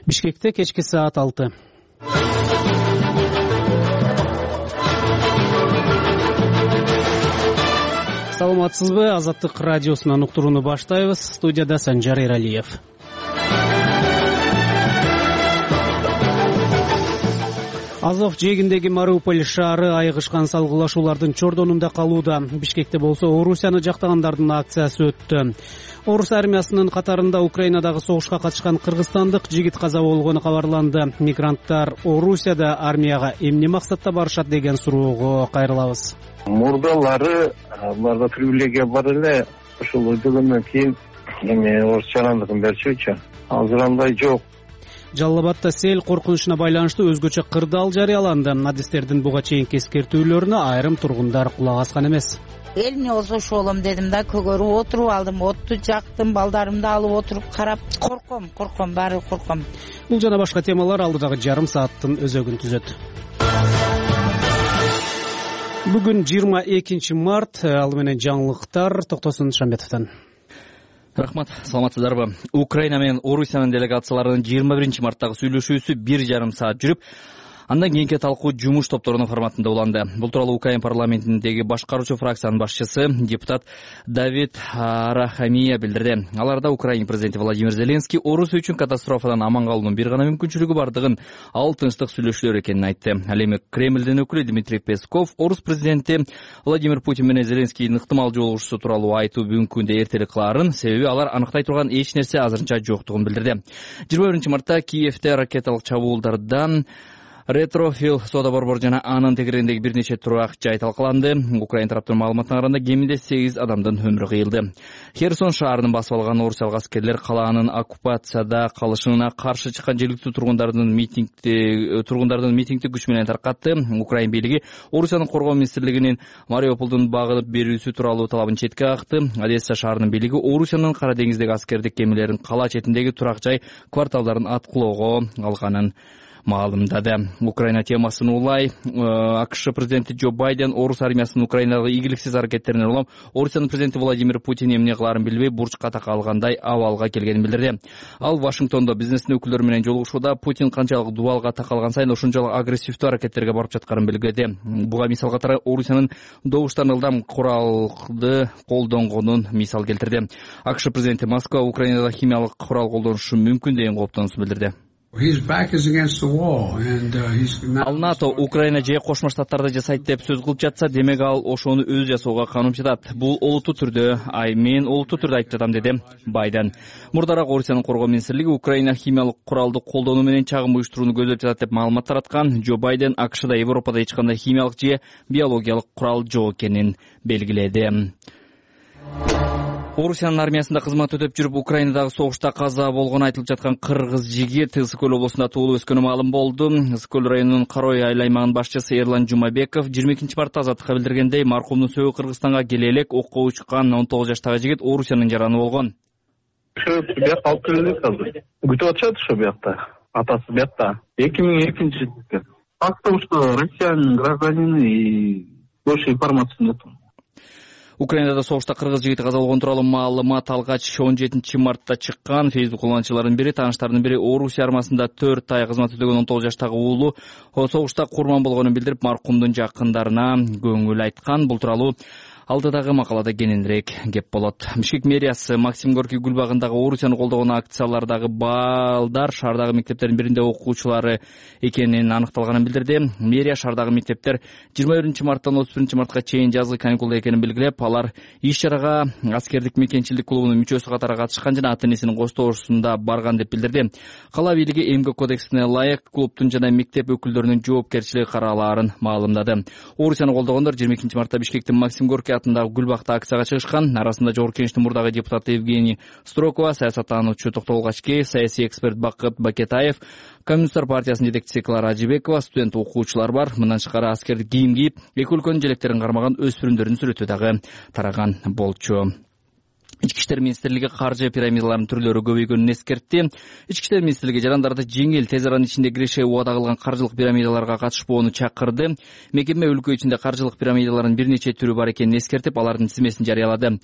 Бишкекте кечки саат 6. Саламатсызбы? Азаттык радиосунан уктурууну баштайбыз. Студияда Санжар Эралиев. Азов жээгиндеги Мариуполь шаары айыгышкан салгылашуулардын чордонунда калууда. Бишкекте болсо Орусияны жактагандардын акциясы өттү. Орус армиясынын катарында Украинадагы согушка катышкан кыргызстандык жигит каза болгону кабарланды. Мигранттар Орусияда армияга эмне максатта барышат деген суроого кайрылабыз. Мурдалары аларда привилегия бар эле. Ошол өйдөгөндөн кийин эми орусчаландыгын берчүчү. Азыр андай жок. Жалал Абадта сел коркунучуна байланыштуу өзгөчө кырдаал жарыяланды. Адистердин буга чейинки эскертүүлөрүнө айрым тургундар кулак аскан эмес. Элине болсо шолом дедим да, көгөрүп отуруп алдым, отту жактым, балдарымды алып отуруп карап, корком, баары корком. Бул жана башка темалар алдыдагы жарым сааттын өзөгүн түзөт. Бүгүн 22 март, ал менен жаңылыктар Токтосун Шамбетовдон. Рахмат, саламатсыздарбы? Украина менен Орусиянын делегацияларынын 21 марттагы сүйлөшүүсү 1,5 саат жүрүп, андан кийинки талкуу жумуш топторунун форматында уланды. Бул тууралуу Украина парламентиндеги башкаруучу фракциянын башчысы депутат Давид Арахамия билдирди. Аларда Украина президенти Владимир Зеленский Орусия үчүн катастрофадан аман калуунун бир гана мүмкүнчүлүгү бардыгын, ал тынчтык сүйлөшүүлөр экенин айтты. Ал эми Кремлдин өкүлү Дмитрий Песков Орус президенти Владимир Путин менен Зеленскийдин ыктымал жолугушуусу тууралуу айтуу бүгүнкү күндө эртерээк кылаарын, себеби алар аныктай турган эч нерсе азырынча жоктугун билдирди. 21 мартта Киевде ракеталык чабуулдардан Ретрофил соода борбору жана анын тегерегиндеги бир нече турак жай талкаланды. Украина тараптын маалыматына караганда кеминде 8 адамдын өмүрү кыйылды. Херсон шаарынын басып алган орусиялык аскерлер калаанын оккупацияда калышына каршы чыккан жергиликтүү тургундардын митингди күч менен таркатты. Украина бийлиги Орусиянын коргоо министрлигинин Мариуполдун багынып берүүсү тууралуу талабын четке какты. Одесса шаарынын бийлиги Орусиянын Кара деңиздеги аскердик кемелерин кала четиндеги турак жай кварталдарын аткылоого алганын маалымдады. Украина темасын улай АКШ президенти Джо Байден Орус армиясынын Украинадагы ийгиликсиз аракеттерине улам Орусиянын президенти Владимир Путин эмне кылаарын билбей бурчка такалгандай абалга келгенин билдирди. Ал Вашингтондо бизнестин өкүлдөрү менен жолугушууда Путин канчалык дубалга такалган сайын ошончолук агрессивдүү аракеттерге барып жатканын белгиледи. Буга мисал катары Орусиянын добуштан ылдам куралды колдонгонун мисал келтирди. АКШ президенти Москва Украинада химиялык курал колдонушу мүмкүн деген кооптонуусун билдирди. Ал НАТО Украина же Кошмо Штаттарды жасайт деп сөз кылып жатса, демек ал ошону өз жасоого каным жатат. Бул олуттуу түрдө, мен олуттуу түрдө айтып жатам, деди Байден. Мурдараак Орусиянын коргоо министрлиги Украина химиялык куралды колдонуу менен чагым уюштурууну көздөп жатат деп маалымат тараткан. Джо Байден АКШда Европада эч кандай химиялык же биологиялык курал жок экенин белгиледи. Орусиянын армиясында кызмат өтөп жүрүп, Украинадагы согушта каза болгону айтылып жаткан кыргыз жигит Ысык-Көл облусунда туулуп өскөнү маалым болду. Ысык-Көл районунун Карой айыл аймагынын башчысы Эрлан Жумабеков 22 мартта Азаттыкка билдиргендей, маркумдун сөөгү Кыргызстанга келе элек окко учкан 19 жаштагы жигит Орусиянын жараны болгон. Бияка алып келдик азыр. Күтүп атышат ошо биякта. Атасы биякта. 2002-жылы. Факты что Россиянын гражданины и больше информации нет. Украинада согушта кыргыз жигити каза болгон тууралуу маалымат алгач 17 мартта чыккан. Facebook куллануучулардын бири, тааныштарынын бири Орусия армиясында 4 ай кызмат өтөгөн 19 жаштагы уулу согушта курман болгонун билдирип, маркумдун жакындарына көңүл айткан. Бул тууралуу алдыдагы макалада кененирээк кеп болот. Бишкек мэриясы Максим Горький гүлбагындагы Орусияны колдогон акциялардагы балдар шаардагы мектептердин биринде окуучулары экенин аныкталганын билдирди. Мэрия шаардагы мектептер 21 марттан 31 мартка чейин жазгы каникулда экенин белгилеп, алар иш-чарага аскердик мекенчилик клубунун мүчөсү катары катышкан жана ата-энесинин коштоосунда барган деп билдирди. Кала бийлиги эмгек кодексине ылайык клубтун жана мектеп өкүлдөрүнүн жоопкерчилиги каралаарын маалымдады. Орусияны колдогондор 22 мартта Бишкектин Максим Горький атындагы Гүлбакта акцияга чыгышкан. Арасында Жогорку Кеңештин мурдагы депутаты Евгений Строкова, саясаттануучу Токтогул Качкеев, саясий эксперт Бакыт Бакетаев, Коммунисттер партиясынын жетекчиси Клара Ажибекова, студент окуучулар бар. Мындан тышкары аскердик кийим кийип, эки өлкөнүн желектерин кармаган өспүрүмдөрдүн сүрөтү дагы тараган болчу. Ички иштер министрлиги каржы пирамидаларынын түрлөрү көбөйгөнүн эскертти. Ички иштер министрлиги жарандарды жеңил, тез аранын ичинде киреше убада кылган каржылык пирамидаларга катышпоону чакырды. Мекеме өлкө ичинде каржылык пирамидаларынын бир нече түрү бар экенин эскертип, алардын тизмесин жарыялады.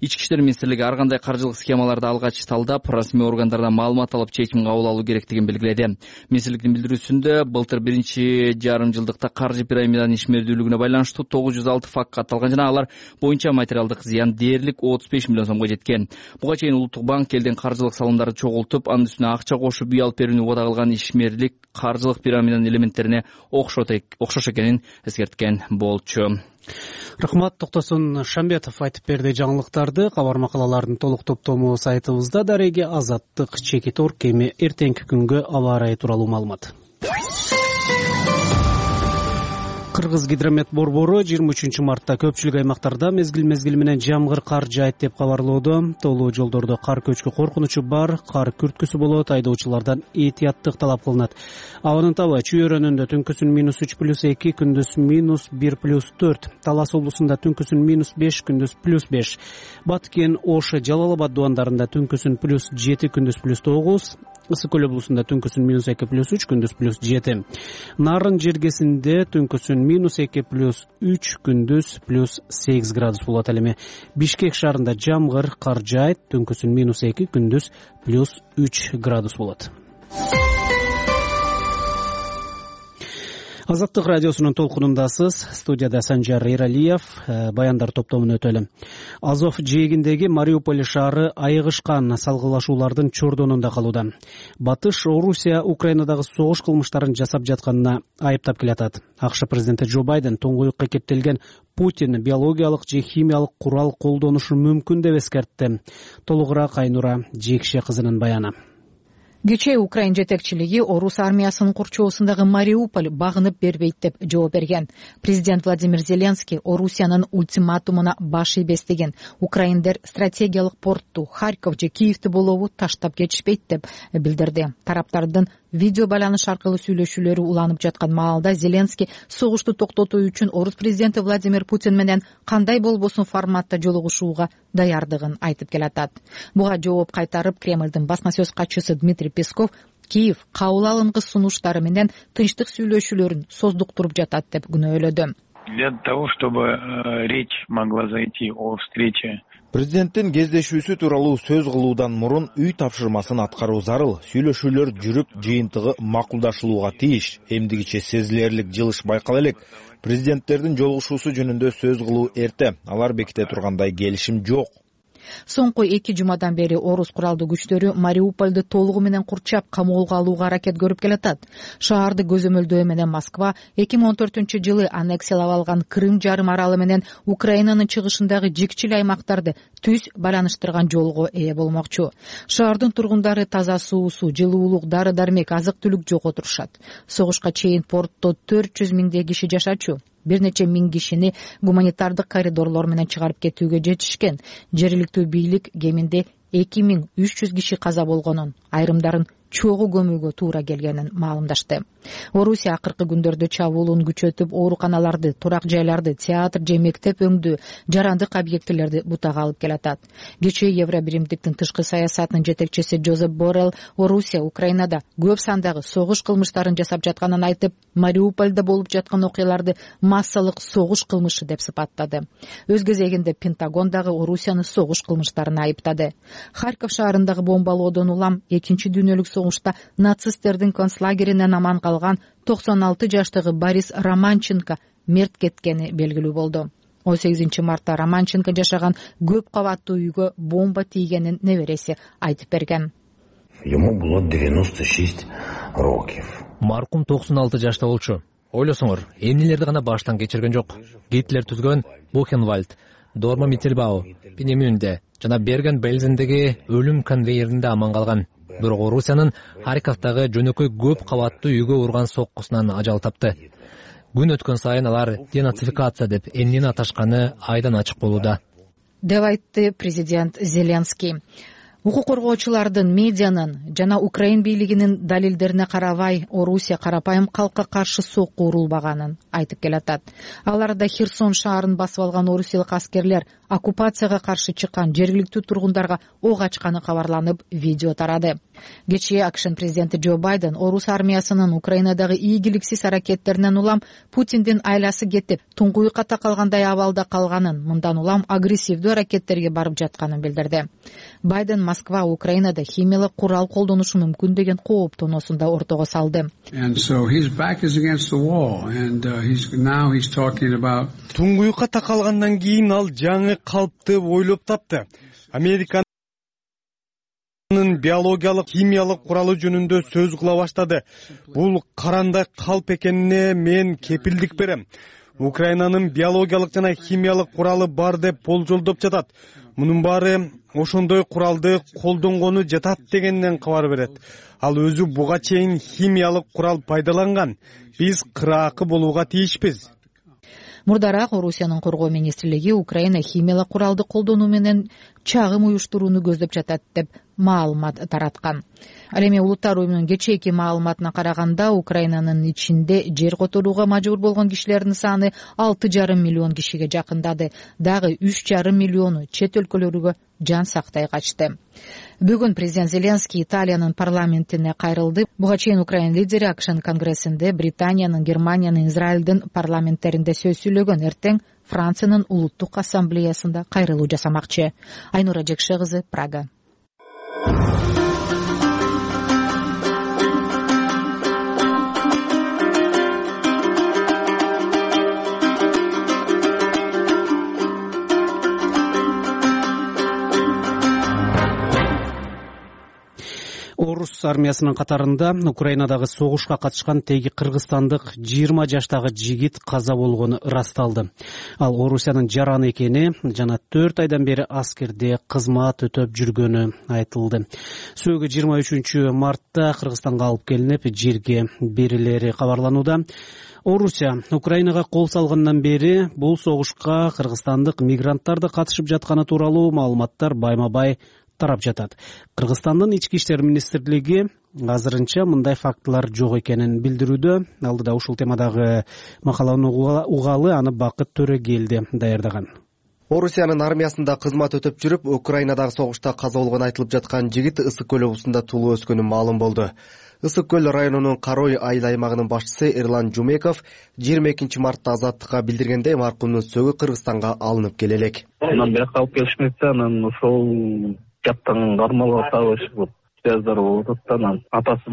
Ички иштер министрлиги ар кандай каржылык схемаларды алгач талдап, расмий органдардан маалымат алып чечим кабыл алуу керектигин белгиледи. Министрликтин билдирүүсүндө былтыр 1,5 жылдыкта каржы пирамиданын ишмердүүлүгүнө байланыштуу 906 факт катталган жана алар боюнча материалдык зыян дээрлик 35 миллион сомго жеткен. Буга чейин Улуттук банк элден каржылык салымдарды чогултуп, анын үстүнө акча кошуп үй алып берүүнү убада кылган ишмерлик каржылык пирамиданын элементтерине окшош экенин эскерткен болчу. Рахмат. Токтосун Шамбетов айтып берди жаңылыктарды. Кабар макалалардын толук топтому сайтыбызда. Дареги Азаттык, Чекит Орг эми эртеңки күнгө аба ырайы тууралуу маалымат. Кыргыз гидромет борбору 23 мартта көпчүлүк аймактарда мезгил менен жамгыр кар жаайт деп кабарлоодо. Толуу жолдордо кар көчкү коркунучу бар, кар күрткүсү болот, айдоочулардан этияттык талап кылынат. Абанын табы Чүй-Өрөнүндө түнкүсүн -3+2, күндүз -1+4, Талас облусунда түнкүсүн -5, күндүз +5, Баткен, Ош, Жалал Абад дубандарында түнкүсүн +7, күндүз +9, Ысык Көл облусунда түнкүсүн -2+3, күндүз +7. Нарын жергесинде түнкүсүн -2+3, күндүз +8 градус болот. Ал эми Бишкек шаарында жамгыр кар жаайт, түнкүсүн -2, күндүз +3 градус болот. Азаттык радиосунун толкунундасыз. Студияда Санжар Эралиев. Баяндар топтомун өтөлү. Азов жээгиндеги Мариуполь шаары айыгышкан салгылашуулардын чордонунда калууда. Батыш Орусия Украинадагы согуш кылмыштарын жасап жатканына айыптап келатат. АКШ президенти Джо Байден туңгуюкка кептелген Путин биологиялык же химиялык курал колдонушу мүмкүн деп эскертти. Толугураак Айнура Жекше кызынын баяны. Кечээ Украин жетекчилиги орус армиясынын курчоосундагы Мариуполь багынып бербейт деп жооп берген. Президент Владимир Зеленский Орусиянын ультиматумуна баш ийбес деген. Украиндер стратегиялык портту, Харьков же Киевти болобу таштап кетишпейт деп билдирди. Тараптардын видео байланыш аркылуу сүйлөшүүлөрү уланып жаткан маалда Зеленский согушту токтотуу үчүн орус президенти Владимир Путин менен кандай болбосун форматта жолугушууга даярдыгын айтып келатат. Буга жооп кайтарып Кремлдин басма сөз катчысы Дмитрий Песков Киев кабыл алынгыс сунуштары менен тынчтык сүйлөшүүлөрүн создуктуруп жатат деп күнөөлөдү. Для того, чтобы речь могла зайти о встрече. Президенттин кездешүүсү тууралуу сөз кылуудан мурун үй тапшырмасын аткаруу зарыл. Сүйлөшүүлөр жүрүп, жыйынтыгы макулдашылууга тийиш. Эмдигиче сезилерлик жылыш байкала элек. Президенттердин жолугушуусу жөнүндө сөз кылуу эрте. Алар беките тургандай келишим жок. Соңку 2 жумадан бери орус куралдуу күчтөрү Мариупольду толугу менен курчап камоого алууга аракет көрүп келатат. Шаарды көзөмөлдөө менен Москва 2014-жылы аннексиялап алган Крым жарым аралы менен Украинанын чыгышындагы жикчил аймактарды түз байланыштырган жолго ээ болмокчу. Шаардын тургундары таза суусу, жылуулук, дары-дармек, азык-түлүк жок отурушат. Согушка чейин портто 400 миңдей киши жашачу. Бир нече миң кишини гуманитардык коридорлор менен чыгарып кетүүгө жетишкен. Жергиликтүү бийлик кеминде 2300 киши каза болгонун, айрымдарын чогуу көмүүгө туура келгенин маалымдашты. Орусия акыркы күндөрдө чабуулун күчөтүп, ооруканаларды, турак жайларды, театр же мектеп өңдүү, жарандык объектилерди бутага алып келатат. Кечээ Евробиримдиктин тышкы саясатынын жетекчиси Жозеп Боррелл Орусия Украинада көп сандагы согуш кылмыштарын жасап жатканын айтып, Мариупольдо болуп жаткан окуяларды массалык согуш кылмышы деп сыпаттады. Өз кезегинде Пентагондагы Орусияны согуш кылмыштарына айыптады. Харьков шаарындагы бомбалоодон улам 2-дүйнөлүк согушта нацисттердин концлагеринен аман калган 96 жаштагы Борис Романченко мерт кеткени белгилүү болду. 18 мартта Романченко жашаган көп кабаттуу үйгө бомба тийгенин небереси айтып берген. Ему было 96 років. Маркум 96 жашта болчу. Ойлосоңор, эмнелерди гана баштан кечирген жок. Гитлер түзгөн Бухенвальд, Дорма Миттельбау, Пинемюнде жана Берген-Бельзендеги өлүм конвейеринде аман калган. Бирок Орусиянын Харьковдагы жөнөкөй көп кабаттуу үйгө урган соккусунан ажал тапты. Күн өткөн сайын алар денацификация деп эмнени аташканы айдан ачык болууда, деп айтты президент Зеленский. Укук коргоочулардын, медианын жана Украин бийлигинин далилдерине карабай Орусия карапайым калкка каршы сокку урулбаганын айтып келатат. Аларда Херсон шаарын басып алган орусиялык аскерлер оккупацияга каршы чыккан жергиликтүү тургундарга ок ачканы кабарланып, видео тарады. Кечээ АКШнын президенти Джо Байден орус армиясынын Украинадагы ийгиликсиз аракеттеринен улам Путиндин айласы кетип, туңгуюкка такалгандай абалда калганын, мындан улам агрессивдүү аракеттерге барып жатканын билдирди. Байден Москва Украинада химиялык курал колдонушу мүмкүн деген кооптоонусун да ортого салды. Туңгуюкка такалгандан кийин ал жаңы калпты ойлоп тапты. Американын биологиялык, химиялык куралы жөнүндө сөз кыла баштады. Бул карандай калп экенине мен кепилдик берем. Украинанын биологиялык жана химиялык куралы бар деп болжолдоп жатат. Мунун баары ошондой куралды колдонгону жатат дегенден кабар берет. Ал өзү буга чейин химиялык курал пайдаланган. Биз кыраакы болууга тийишпиз. Мурдараак Орусиянын коргоо министрлиги Украина химиялык куралды колдонуу менен чагым уюштурууну көздөп жатат деп маалымат тараткан. Ал эми Улуттар уюмунун кечээки маалыматына караганда Украинанын ичинде жер которууга мажбур болгон кишилердин саны 6,5 миллион кишиге жакындады. Дагы 3,5 миллиону чет өлкөлөргө жан сактай качты. Бүгүн президент Зеленский Италиянын парламентине кайрылды. Буга чейин Украин лидери АКШнын конгрессинде, Британиянын, Германиянын, Израилдин парламенттеринде сөз сүйлөгөн. Эртең Франциянын улуттук ассамблеясында кайрылуу жасамакчы. Айнура Жекше кызы, Прага. Орус армиясынын катарында Украинадагы согушка катышкан теги кыргызстандык 20 жаштагы жигит каза болгону ырасталды. Ал Орусиянын жараны экени жана 4 айдан бери аскерде кызмат өтөп жүргөнү айтылды. Сөөгү 23 мартта Кыргызстанга алып келинип, жерге берилери кабарланууда. Орусия Украинага кол салгандан бери бул согушка кыргызстандык мигранттар да катышып жатканы тууралуу маалыматтар байма-бай тарап жатат. Кыргызстандын ички иштер министрлиги азырынча мындай фактылар жок экенин билдирүүдө. Алдыда ушул темадагы макаланы угалы, аны Бакыт Төрөгелди даярдаган. Орусиянын армиясында кызмат өтөп жүрүп, Украинадагы согушта каза болгон айтылып жаткан жигит Ысык көл облусунда туулуп өскөнү маалым болду. Ысык көл районунун Карой айыл аймагынын башчысы Эрлан Жумеков 22 мартта азаттыкка билдиргендей, маркумдун сөөгү Кыргызстанга алынып келе элек. Анан бияка алып келишмекте, анан ошол жактан кармалга табышып связдар болуп атат. Анан атасы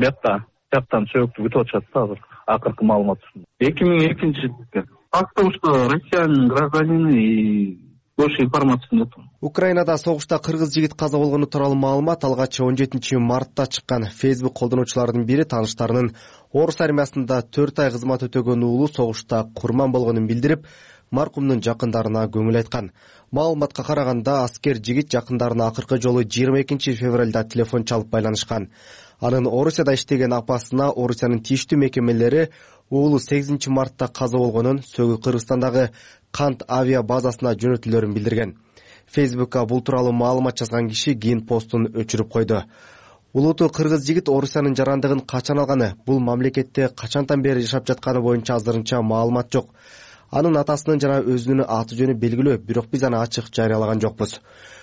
жактан сөөгүктү күтүп атышат да азыр. Акыркы маалымат ушундай. 2002 жылы факт, что россиянин гражданины и больше информации нет. Украинада согушта кыргыз жигит каза болгону тууралуу маалымат алгач 17 мартта чыккан. Facebook колдонуучулардын бири тааныштарынын Орус армиясында 4 ай кызмат өтөгөн уулу согушта курман болгонун билдирип, маркумдун жакындарына көңүл айткан. Маалыматка караганда, аскер жигит жакындарына акыркы жолу 22 февралда телефон чалып байланышкан. Анын Орусияда иштеген апасына Орусиянын тийиштүү мекемелери уулу 8 мартта каза болгонун, сөөгү Кыргызстандагы Кант авиа базасына жөнөтүлөрүн билдирген. Facebook'ка бул тууралуу маалымат жазган киши кийин постун өчүрүп койду. Улуттуу кыргыз жигит Орусиянын жарандыгын качан алганы, бул мамлекетте качантан бери жашап жатканы боюнча азырынча маалымат жок. Анын атасынын жана өзүнүн аты жөнү белгилүү, бирок биз аны ачык жарыялаган жокпуз.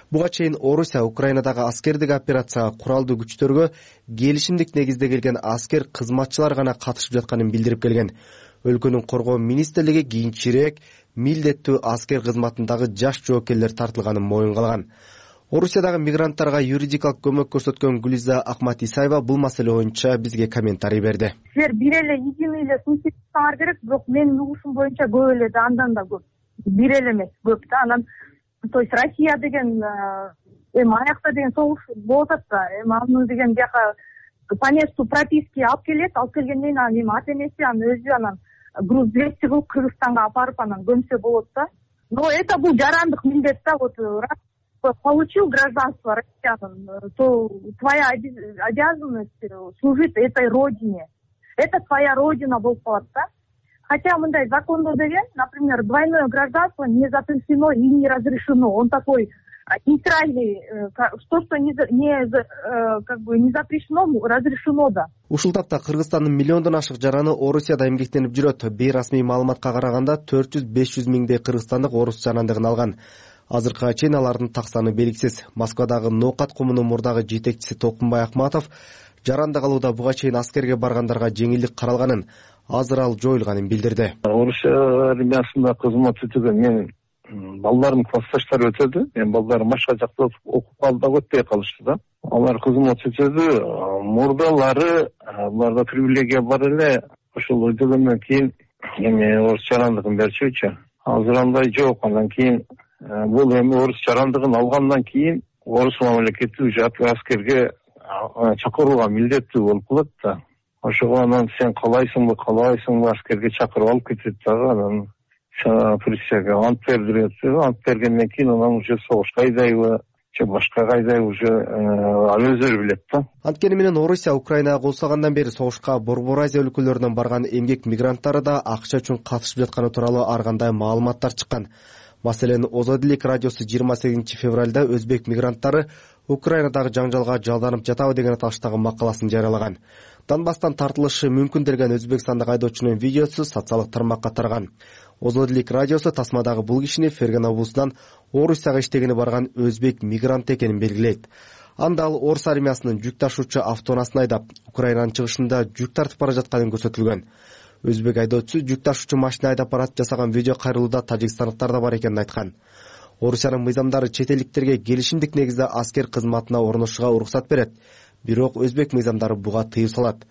Буга чейин Орусия Украинадагы аскердик операцияга куралдуу күчтөргө келишимдик негизде келген аскер кызматчылар гана катышып жатканын билдирип келген. Өлкөнүн коргоо министрлиги кийинчерээк милдеттүү аскер кызматындагы жаш жоокерлер тартылганын моюнга алган. Орусиядагы мигранттарга юридикалык көмөк көрсөткөн Гүлиза Акмат Исаева бул маселе боюнча бизге комментарий берди. Силер бир эле ийгими эле сунсуңар керек, бирок менин угушум боюнча көп эле да, андан да көп. Бир эле эмес, көп да. Анан то есть Россия деген аякта деген согуш болуп атат да. Аны деген бияка по месту прописки алып келгенден кийин анан ата энеси анын өзү анан груз 200 кылып Кыргызстанга апарып анан көмсө болот да. Но это бул жарандык милдет да. Вот получил гражданство россиянин, то твоя обязанность служить этой родине. Это твоя родина болуп калат да. Хотя мындай закондо деген, например, двойное гражданство не запрещено и не разрешено. Он такой нейтральный, то, что не запрещено, разрешено да. Ушул тапта Кыргызстандын миллиондон ашык жараны Орусияда эмгектенип жүрөт. Бейрасмий маалыматка караганда 400-500 миңдей кыргызстандык орус жарандыгын алган. Азыркыга чейин алардын так саны белгисиз. Москвадагы Ноокат коммуну мурдагы жетекчиси Толкунбай Акматов жарандык алууда буга чейин аскерге баргандарга жеңилдик каралганын, азыр ал жоюлганын билдирди. Орусия армиясында кызмат өтөгөн мен балдарым классташтар өтөдү. Мен балдарым башка жакта окуп калды да өтпөй калышты да. Алар кызмат өтөдү. Мурдалары буларда привилегия бар эле. Ошол өтөгөндөн кийин эми орус жарандыгын берчүчү. Азыр андай жок. Андан кийин бул эми орус жарандыгын алгандан кийин орус мамлекети уже аскерге чакырууга милдеттүү болуп калат да. Ошого анан сен каалайсыңбы аскерге чакырып алып кетет дагы. Анан присяга ант бердирет. Ант бергенден кийин анан уже согушка айдайбы же башка кайдайбы уже ал өздөрү билет да. Анткени менен Орусия Украинага кол салгандан бери согушка Борбор Азия өлкөлөрүнөн барган эмгек мигранттары да акча үчүн катышып жатканы тууралуу ар кандай маалыматтар чыккан. Маселен, Озодилик радиосу 28 февралда өзбек мигранттары Украинадагы жаңжалга жалданып жатабы деген аталыштагы макаласын жарыялаган. Донбасстан тартылышы мүмкүн делген өзбекстандык айдоочунун видеосу социалдык тармакка тараган. Озодилик радиосу тасмадагы бул кишини Ферген облусунан Орусияга иштегени барган өзбек мигрант экенин белгилейт. Анда ал орус армиясынын жүк ташуучу автоунасын айдап, Украинанын чыгышында жүк тартып бара жатканын көрсөтүлгөн. Өзбек айдоочусу жүк ташуучу машина айдап барат жасаган видео кайрылууда тажикстандыктар да бар экенин айткан. Орусиянын мыйзамдары чет элдиктерге келишимдик негизде аскер кызматына орношууга уруксат берет. Бирок өзбек мыйзамдары буга тыюу салат.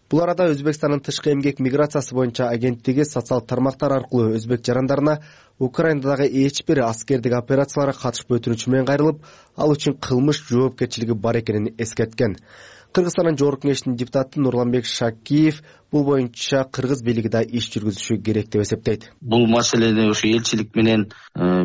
Бул арада Өзбекстандын тышкы эмгек миграциясы боюнча агенттиги социалдык тармактар аркылуу өзбек жарандарына Украинадагы эч бир аскердик операцияларга катышып өтүнүчү менен кайрылып, ал үчүн кылмыш жоопкерчилиги бар экенин эскерткен. Кыргызстандын Жогорку Кеңешинин депутаты Нурланбек Шакиев бул боюнча кыргыз бийлиги да иш жүргүзүшү керек деп эсептейт. Бул маселени ошо элчилик менен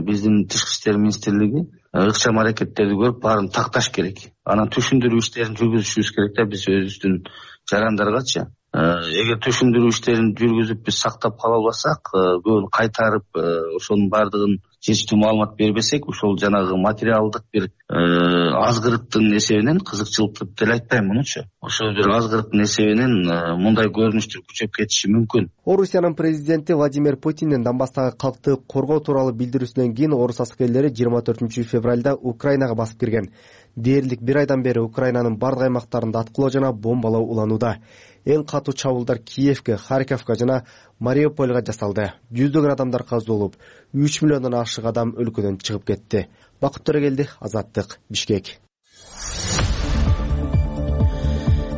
биздин Тышкы иштер министрлиги ыкчам аракеттерди көрүп баарын такташ керек. Анан түшүндүрүү иштерин жүргүзүшүбүз керек да биз өзүбүздүн жарандаргачы. Эгер түшүндүрүү иштерин жүргүзүп биз сактап кала албасак, көбүн кайтарып ошонун баардыгын чечтүү маалымат бербесек, ошол жанагы материалдык бир азгырыктын эсебинен, кызыкчылык деле айтпайм мунучу. Ошол бир азгырыктын эсебинен мындай көрүнүштөр күчөп кетиши мүмкүн. Орусиянын президенти Владимир Путиндин Донбасстагы калкты коргоо тууралуу билдирүүсүнөн кийин орус аскерлери 24 февралда Украинага басып кирген. Дээрлик бир айдан бери Украинанын бардык аймактарында аткылоо жана бомбалоо уланууда. Эң катуу чабуулдар Киевке, Харьковко жана Мариупольго жасалды. Жүздөгөн адамдар каза болуп, 3 миллиондон ашык адам өлкөдөн чыгып кетти. Бакыт Төрөгелди, Азаттык, Бишкек.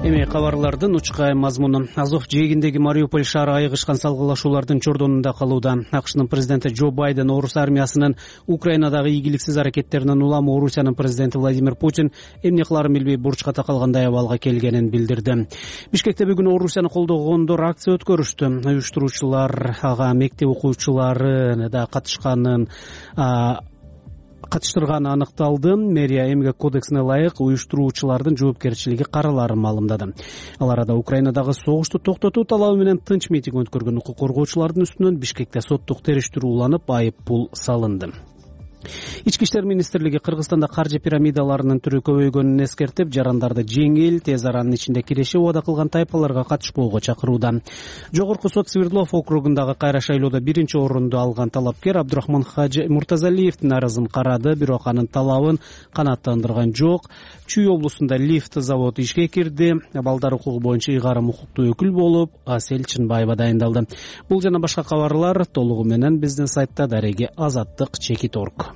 Эми кабарлардын учкай мазмуну. Азов жээгиндеги Мариуполь шаары айыгышкан салгылашуулардын чордонунда калууда. АКШнын президенти Джо Байден орус армиясынын Украинадагы ийгиликсиз аракеттеринен улам Орусиянын президенти Владимир Путин эмне кылаарын билбей бурчка такалгандай абалга келгенин билдирди. Бишкекте бүгүн Орусияны колдогондор акция өткөрүштү. Уюштуруучулар ага мектеп окуучулары да катыштырганы аныкталды. Мэрия эмгек кодексине ылайык уюштуруучулардын жоопкерчилиги караларын маалымдады. Ал арада Украинадагы согушту токтотуу талабы менен тынч митинг өткөргөн укук коргоочулардын үстүнөн Бишкекте соттук териштирүү уланып, айып пул салынды. Ички иштер министрлиги Кыргызстанда каржы пирамидаларынын түрү көбөйгөнүн эскертип, жарандарды жеңил, тез аранын ичинде кирешип убада кылган тайпаларга катышпоого чакырууда. Жогорку сот Свердлов округундагы кайра шайлоодо 1-орунду алган талапкер Абдурахман Хажы Муртазалиевдин арызын карады, бирок анын талабын канааттандырган жок. Чүй облусунда лифт заводу ишке кирди. Балдар укугу боюнча ыйгарым укуктуу өкүл болуп, Асель Чынбаева дайындалды. Бул жана башка кабарлар толугу менен биздин сайтта дареги Азаттык.org.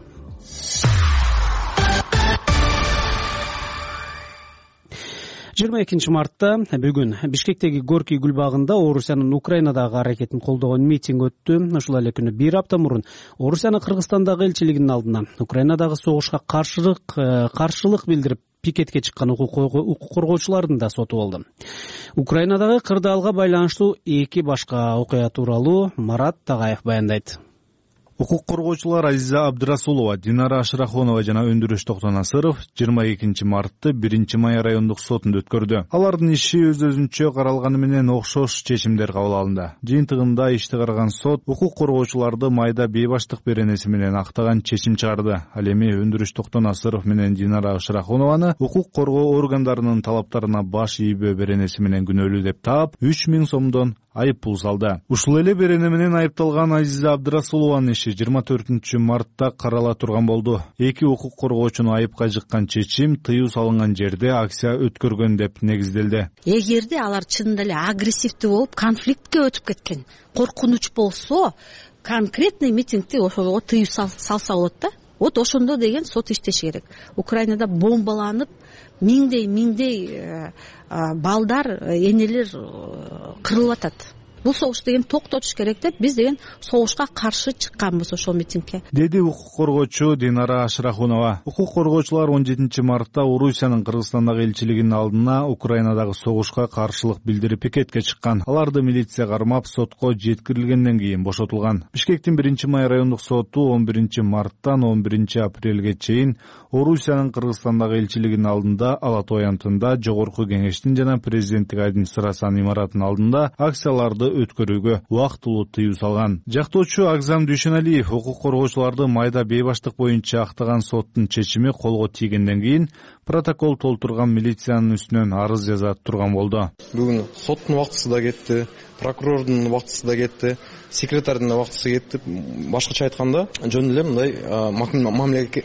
22 мартта бүгүн Бишкектеги Горький гүл багында Орусиянын Украинадагы аракетин колдогон митинг өттү. Ушул эле күнү бир апта мурун Орусиянын Кыргызстандагы элчилигинин алдына Украинадагы согушка каршылык билдирип пикетке чыккан укук коргоочулардын да соту болду. Украинадагы кырдаалга байланыштуу эки башка окуя тууралуу Марат Тагаев баяндайт. Укук коргоочулар Азиза Абдрасулова, Динара Ашрахонова жана Өндүрүш Токтонасыров 22 мартты 1 май райондук сотунда өткөрдү. Алардын иши өз-өзүнчө каралганы менен окшош чечимдер кабыл алынды. Жыйынтыгында ишти караган сот укук коргоочуларды майда бейбаштык беренеси менен актаган чечим чыгарды. Ал эми Өндүрүш Токтонасыров менен Динара Ашрахонованы укук коргоо органдарынын талаптарына баш ийбөө беренеси менен күнөөлүү деп таап 3000 сомдон айып пул салды. Ушул эле берене менен айыпталган Азиза Абдрасулованын иши 24 мартта карала турган болду. Эки укук коргоочуну айыпка жыккан чечим тыюу салынган жерде акция өткөргөн деп негизделди. Эгерде алар чынында эле агрессивдүү болуп, конфликтке өтүп кеткен, коркунуч болсо, конкретный митингди ошого тыюу салса болот да. Вот ошондо деген сот иштеши керек. Украинада бомбаланып, миңдей балдар, энелер кырылып атат. Бул согуш деген токтотуш керек деп биз деген согушка каршы чыкканбыз ошол митингге, деди укук коргоочу Динара Ашрахунова. Укук коргоочулар 17 мартта Орусиянын Кыргызстандагы элчилигинин алдына Украинадагы согушка каршылык билдирип пикетке чыккан. Аларды милиция кармап, сотко жеткирилгенден кийин бошотулган. Бишкектин 1 май райондук соту 11 марттан 11 апрелге чейин Орусиянын Кыргызстандагы элчилигинин алдында, Ала Той Антында, Жогорку Кеңештин жана президенттик администрациянын имаратынын алдында акцияларды өткөрүүгө убактылуу тыюу салган. Жактоочу Агзам Дүйшөналиев укук коргоочуларды майда бейбаштык боюнча актаган соттун чечими колго тийгенден кийин протокол толтурган милициянын үстүнөн арыз жаза турган болду. Бүгүн соттун убактысы да кетти, прокурордун убактысы да кетти, секретардын убактысы кетти. Башкача айтканда, жөн эле мындай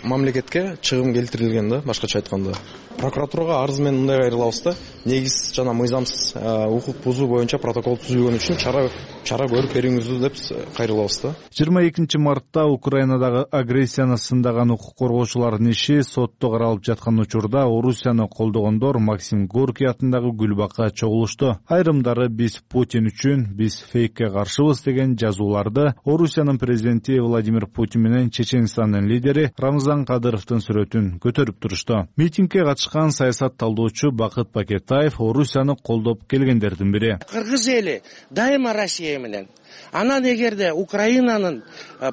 мамлекетке чыгым келтирилген да, башкача айтканда. Прокуратурага арыз менен мындай кайрылабыз да, негиз жана мыйзамсыз укук бузуу боюнча протокол түзүлгөн үчүн чара көрүп бериңиздүү деп кайрылабыз да. 22 мартта Украинадагы агрессияны сындаган укук коргоочулардын иши сотто каралып жаткан учурда Орусияны колдогондор Максим Горький атындагы гүлбакка чогулушту. Айрымдары биз Путин үчүн, биз фейкке каршыбыз деген жазууларды Орусиянын президенти Владимир Путин менен Чеченстандын лидери Рамзан Кадыровдун сүрөтүн көтөрүп турушту. Митингге катышкан саясат талдоочу Бакыт Пакетаев Орусияны колдоп келгендердин бири. Кыргыз эли дайыма Россия менен. Анан эгерде Украинанын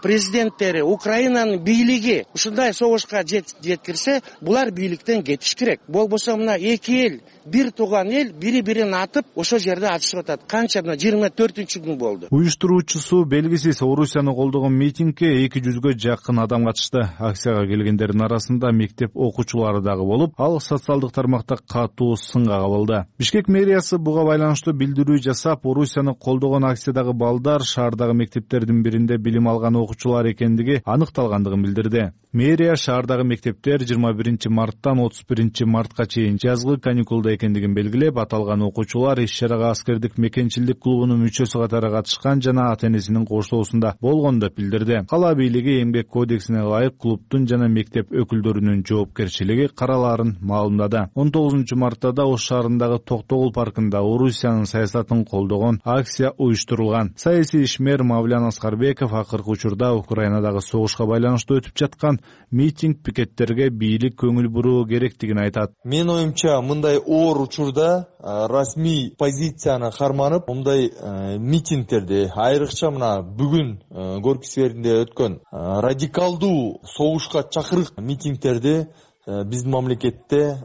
президенттери, Украинанын бийлиги ушундай согушка жеткирсе, булар бийликтен кетиш керек. Болбосо мына эки эл, бир тууган эл бири-бирин атып, ошол жерде атышып атат. Канча мына 24-күн болду. Уюштуруучусу белгисиз Орусияны колдогон митингге 200гө жакын адам катышты. Акцияга келгендердин арасында мектеп окуучулары дагы болуп, ал социалдык тармакта катуу сынга кабылды. Бишкек мэриясы буга байланыштуу билдирүү жасап, Орусияны колдогон акциядагы балдар шаардагы мектептердин биринде билим алган окуучулар экендиги аныкталгандыгын билдирди. Мэрия шаардагы мектептер 21 марттан 31 мартка чейин жазгы каникулда экендигин белгилеп, аталган окуучулар иш-чарага аскердик мекенчилдик клубунун мүчөсү катары катышкан жана ата-энесинин коштоосунда болгон деп билдирди. Кала бийлиги эмгек кодексине ылайык клубтун жана мектеп өкүлдөрүнүн жоопкерчилиги каралаарын маалымдады. 19 мартта да Ош шаарындагы Токтогул паркында Орусиянын саясатын колдогон акция уюштурулган. Саясий ишмер Мавлян Аскарбеков акыркы учурда Украинадагы согушка байланыштуу өтүп жаткан митинг пикеттерге бийлик көңүл буруу керектигин айтат. Мен оюмча мындай оор учурда расмий позицияны карманып, мындай митингтерди, айрыкча мына бүгүн Горький скверинде өткөн радикалдуу согушка чакырык митингтерди биздин мамлекетте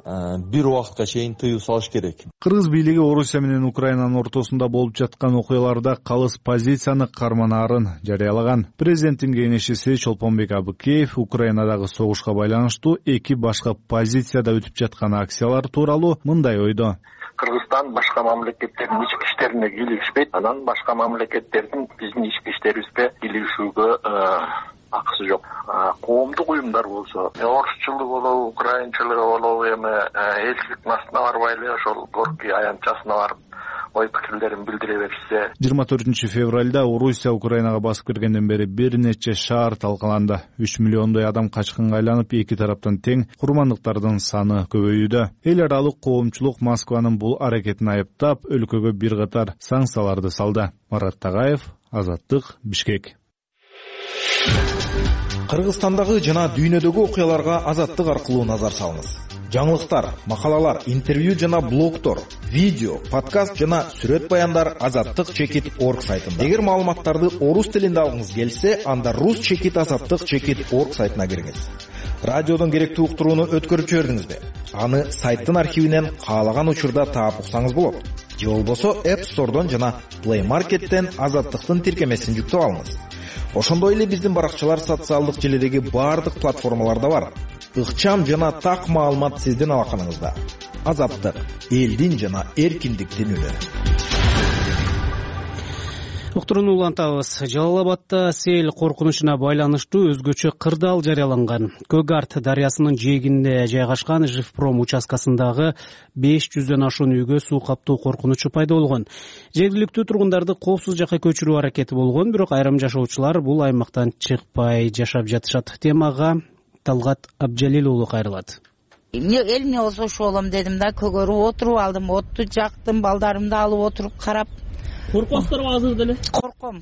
бир убакытка чейин тыюу салыш керек. Кыргыз бийлиги Орусия менен Украинанын ортосунда болуп жаткан окуяларда калыс позицияны карманаарын жарыялаган. Президенттин кеңешчиси Чолпонбек Абыкеев Украинадагы согушка байланыштуу эки башка позицияда өтүп жаткан акциялар тууралуу мындай ойдо. Кыргызстан башка мамлекеттердин ички иштерине кийлигишпейт, анан башка мамлекеттердин биздин ички иштерибизге кийлигишүүгө акысы жок. Коомдук уюмдар болсо, орусчулук болобу, украинчылыгы болобу, эми элчиликтин астына барбай эле ошол Горький аянтчасына барып ой пикирлерин билдире беришсе. 24 февралда Орусия Украинага басып киргенден бери бир нече шаар талкаланды. 3 миллиондой адам качкынга айланып, эки тараптан тең курмандыктардын саны көбөйүүдө. Эл аралык коомчулук Москванын бул аракетин айыптап, өлкөгө бир катар санкцияларды салды. Марат Тагаев, Азаттык, Бишкек. Кыргызстандагы жана дүйнөдөгү окуяларга Азаттык аркылуу назар салыңыз. жаңылыктар, макалалар, интервью жана блогтор, видео, подкаст жана сүрөт баяндар azattik.org сайтында. Эгер маалыматтарды орус тилинде алгыңыз келсе, анда rus.azattik.org сайтына кириңиз. Радиодон керектүү уктурууну өткөрүп жибердиңизби? Аны сайттын архивинен каалаган учурда таап уксаңыз болот. Же болбосо App Store'дон жана Play Market'тен Азаттыктын тиркемесин жүктөп алыңыз. Ошондой эле биздин баракчалар социалдык желидеги баардык платформаларда бар. Ыкчам жана так маалымат сиздин алаканыңызда. Азаттык, элдин жана эркиндиктин үнү. Уктурууну улантабыз. Жалал-Абадда сел коркунучуна байланыштуу өзгөчө кырдаал жарыяланган. Көгарт дарыясынын жээгинде жайгашкан Живпром участкасындагы 500дөн ашуун үйгө суу каптоо коркунучу пайда болгон. Жергиликтүү тургундарды коопсуз жакка көчүрүү аракети болгон, бирок айрым жашоочулар бул аймактан чыкпай жашап жатышат. Темага Талгат Абжалил уулу кайрылат. Элине болсо ошо болом дедим да, көгөрүп отуруп алдым, отту жактым, балдарымды алып отуруп карап. Коркосуздарбы азыр деле?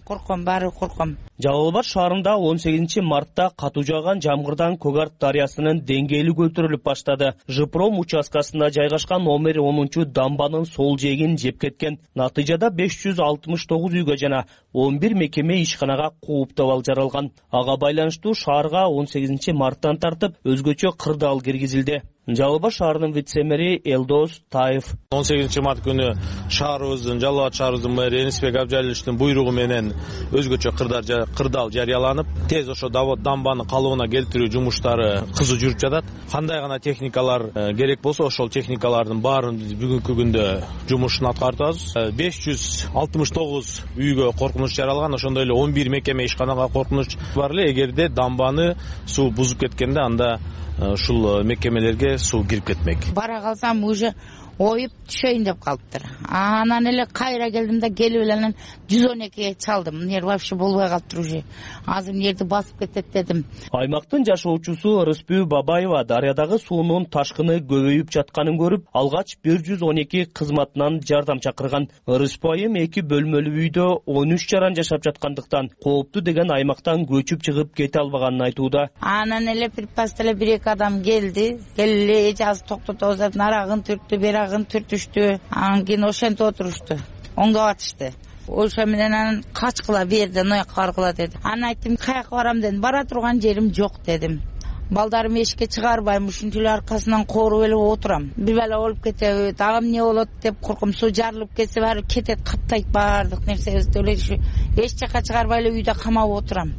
Корком, баары корком. Жалал-Абад шаарында 18-мартта катуу жааган жамгырдан Көгарт дарыясынын деңгээли көтөрүлүп баштады. Живпром участкасында жайгашкан номер 10 дамбанын сол жээгин жеп кеткен. Натыйжада 569 үйгө жана 11 мекеме ишканага кооптабал жаралган. Ага байланыштуу шаарга 18-марттан тартып өзгөчө кырдаал киргизилди. Жалал-Абад шаарынын вице-мэри Элдос Таев 18-март күнү шаарыбыздын, Жалал-Абад шаарыбыздын мэри Энисбек Абжалиловичтин буйругу менен өзгөчө кырдаал жарыяланып, тез ошо дамбаны калыбына келтирүү жумуштары кызуу жүрүп жатат. Кандай гана техникалар керек болсо, ошол техникалардын баарын бүгүнкү күндө жумушун аткарып атабыз. 569 үйгө коркунуч жаралган, ошондой эле 11 мекеме ишканага коркунуч бар эле. Эгерде дамбаны суу бузуп кеткенде, анда ушул мекемелерге суу кирип кетмек. Бара калсам уже оюп түшөйүн деп калыптыр. Анан эле кайра келдим да, келип эле 112-ге чалдым. Нер вообще болбой калыптыр уже. Азыр нерди басып кетет дедим. Аймактын жашоочусу Рыспүү Бабаева дарыядагы суунун ташкыны көбөйүп жатканын көрүп, алгач 112 кызматынан жардам чакырган. Рыспүү айым 2 бөлмөлүү үйдө 13 жаран жашап жаткандыктан кооптуу деген аймактан көчүп чыгып кете албаганын айтууда. Анан эле припаста эле 1-2 адам келди. Келе эже токтотобуз деп нарагын түрттү, берагын түртүштү. Анан кийин ошентип отурушту. Оңдоп атышты. Ошо менен анан качкыла берди, ноякка баргыла деди. Анан айттым, каяка барам дедим. Бара турган жерим жок дедим. Балдарым эшикке чыгарбайм, ушунча эле аркасынан кооруп эле отурам. Бир бала болуп кетеби, дагы эмне болот деп корком. Суу жарылып кетсе баары кетет, каптайт баардык нерсебизди. Эч жака чыгарбай эле үйдө камап отурам.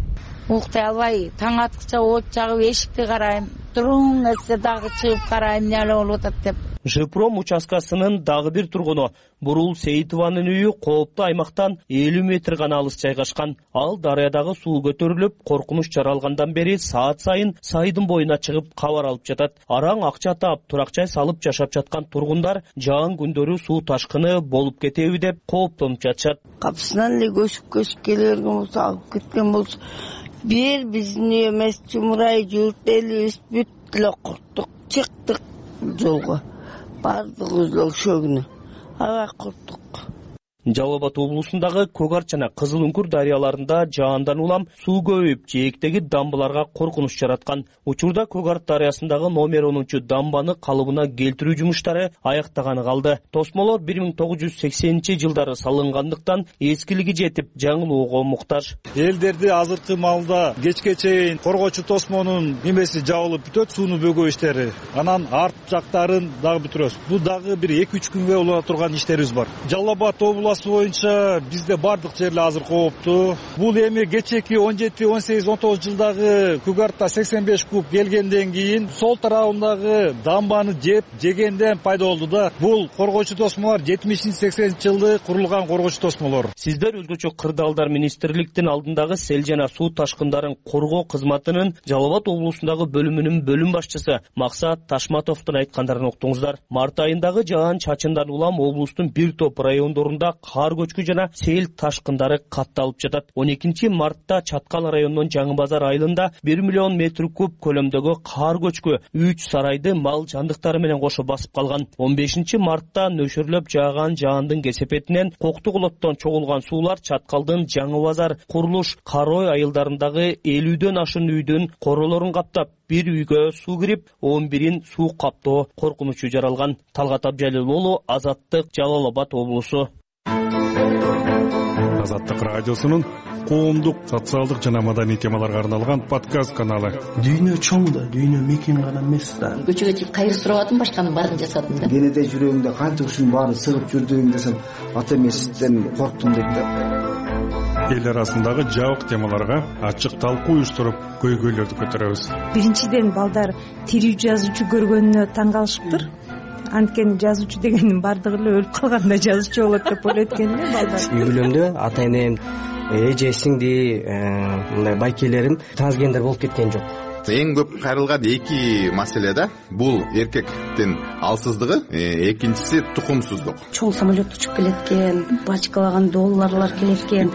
Уктай албай, таң аткыча от жагып эшикти карайм. Туруң эсе дагы чыгып карайм, эмне болуп атат деп. Живпром участкасынын дагы бир тургуну Бурул Сейитованын үйү кооптуу аймактан 50 метр гана алыс жайгашкан. Ал дарыядагы суу көтөрүлүп, коркунуч жаралгандан бери саат сайын сайдын боюна чыгып кабар алып жатат. Араң акча таап, турак-жай салып жашап жаткан тургундар жаан күндөрү суу ташкыны болуп кетеби деп кооптонуп жатышат. Капысынан эле көчүп келе берген болсо, алып кеткен болсо, биздин үй эмес, Чумурай журт элибиз бүт эле корктук, чыктык жолго. Бардыгыбыз ошо күнү аябай корктук. Жалал-Абад облусундагы Көгарт жана Кызыл Үңкүр дарыяларында жаандан улам суу көбөйүп, жээктеги дамбаларга коркунуч жараткан. Учурда Көгарт дарыясындагы номер 10 дамбаны калыбына келтирүү жумуштары аяктаганы калды. Тосмолор 1980-жылдары салынгандыктан эскилиги жетип, жаңылууга муктаж. Элдерди азыркы маалда кечке чейин коргоочу тосмонун немеси жабылып бүтөт, сууну бөгөө иштери. Анан арт жактарын дагы бүтүрөбүз. Бул дагы бир 2-3 күнгө улана турган иштерибиз бар. Жалал-Абад облусу боюнча бизде бардык жерлер азыр кооптуу. Бул эми кечеки 17, 18, 19 жылдагы Көгартта 85 куб келгенден кийин сол тарабындагы дамбаны жегенден пайда болду да. Бул коргоочу тосмолор 70-80-жылы курулган коргоочу тосмолор. Сиздер өзгөчө кырдаалдар министрликтин алдындагы сел жана суу ташкындарын коргоо кызматынын Жалал-Абад облусундагы бөлүмүнүн бөлүм башчысы Максат Ташматовдун айткандарын уктуңуздар. Март айындагы жаан чачындан улам облустун бир топ райондорунда каар көчкү жана сел ташкындары катталып жатат. 12 мартта Чаткал районунун Жаңы Базар айылында 1 миллион метр куб көлөмдөгү каар көчкү 3 сарайды мал жандыктары менен кошо басып калган. 15 мартта нөшөрлөп жааган жаандын кесепетинен Коктуголоттон чогулган суулар Чаткалдын Жаңы Базар, Курулуш, Карой айылдарындагы 50дөн ашын үйдүн королорун каптап, бир үйгө суу кирип, 11-ин суу каптоо коркунучу жаралган. Талгат Абжалил уулу, Азаттык, Жалал Абад облусу. Азаттык радиосунун коомдук, социалдык жана маданий темаларга арналган подкаст каналы. Дүйнө чоң да, дүйнө мекен гана эмес да. Көчөгө чыгып кайыр сурабадым, башканын баарын жасадым да. Кенеде жүрөгүмдө канча ушунун баарын сыгып жүрдүм десем, ата эмесизден корктум дейт да. Эл арасындагы жабык темаларга ачык талкуу уюштуруп, көйгөйлөрдү көтөрөбүз. Биринчиден балдар тирүү жазуучу көргөнүнө таң калышыптыр. Анткени жазуучу дегендин бардыгы эле өлүп калганда жазуучу болот деп ойлойт экен да балдар. Үй бүлөмдө ата энем, эже сиңди мындай байкелерим трансгендер болуп кеткен жок. Эң көп кайрылган эки маселе да. Бул эркектин алсыздыгы, экинчиси тукумсуздук. Чоң самолет учуп келет экен, бачкалаган долларлар келет экен.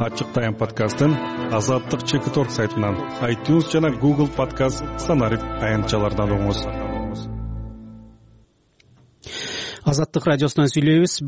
Ачык Тайм подкастын Азаттык Чекиторг сайтынан, iTunes жана Google подкаст стандарт аянтчалардан угуңуз. Азаттык радиосунан сүйлөйбүз.